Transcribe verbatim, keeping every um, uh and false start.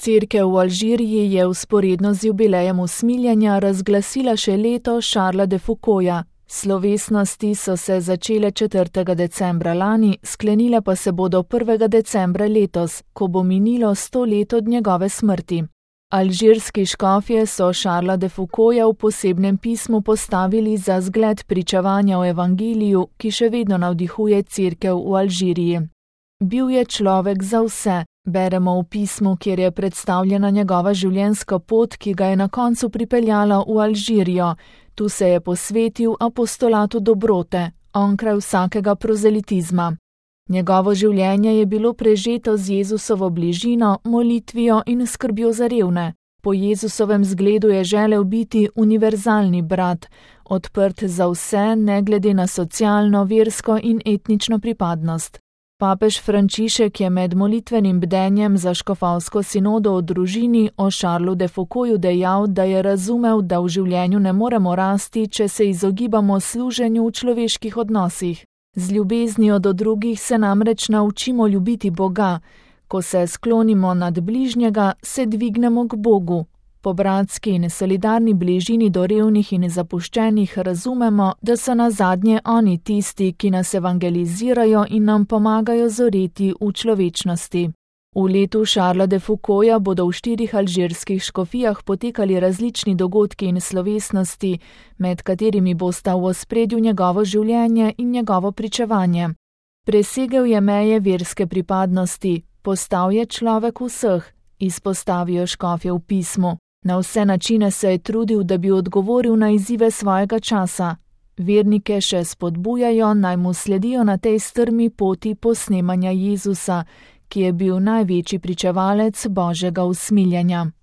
Cerkev v Alžiriji je vzporedno z jubilejem usmiljenja razglasila še leto Charlesa de Foucaulta. Slovesnosti so se začele četrtega decembra lani, sklenile pa se bodo prvega decembra letos, ko bo minilo sto let od njegove smrti. Alžirski škofje so Charlesa de Foucaulta v posebnem pismu postavili za zgled pričevanja o evangeliju, ki še vedno navdihuje cerkev v Alžiriji. Bil je človek za vse, beremo v pismu, kjer je predstavljena njegova življenjska pot, ki ga je na koncu pripeljala v Alžirijo. Tu se je posvetil apostolatu dobrote, onkraj vsakega prozelitizma. Njegovo življenje je bilo prežeto z Jezusovo bližino, molitvijo in skrbjo za revne. Po Jezusovem zgledu je želel biti univerzalni brat, odprt za vse, ne glede na socialno, versko in etnično pripadnost. Papež Frančišek je med molitvenim bdenjem za škofovsko sinodo o družini o Charlesu de Foucaultu dejal, da je razumel, da v življenju ne moremo rasti, če se izogibamo služenju v človeških odnosih. Z ljubeznijo do drugih se namreč naučimo ljubiti Boga. Ko se sklonimo nad bližnjega, se dvignemo k Bogu. Po bratski in solidarni bližini do revnih in zapuščenih razumemo, da so nazadnje oni tisti, ki nas evangelizirajo in nam pomagajo zoreti v človečnosti. V letu Charlesa de Foucaulta bodo v štirih alžirskih škofijah potekali različni dogodki in slovesnosti, med katerimi bosta v ospredju njegovo življenje in njegovo pričevanje. Presegel je meje verske pripadnosti, postal je človek vseh, izpostavijo škofje v pismu. Na vse načine se je trudil, da bi odgovoril na izzive svojega časa. Vernike še spodbujajo, naj mu sledijo na tej strmi poti posnemanja Jezusa, ki je bil največji pričevalec Božjega usmiljenja.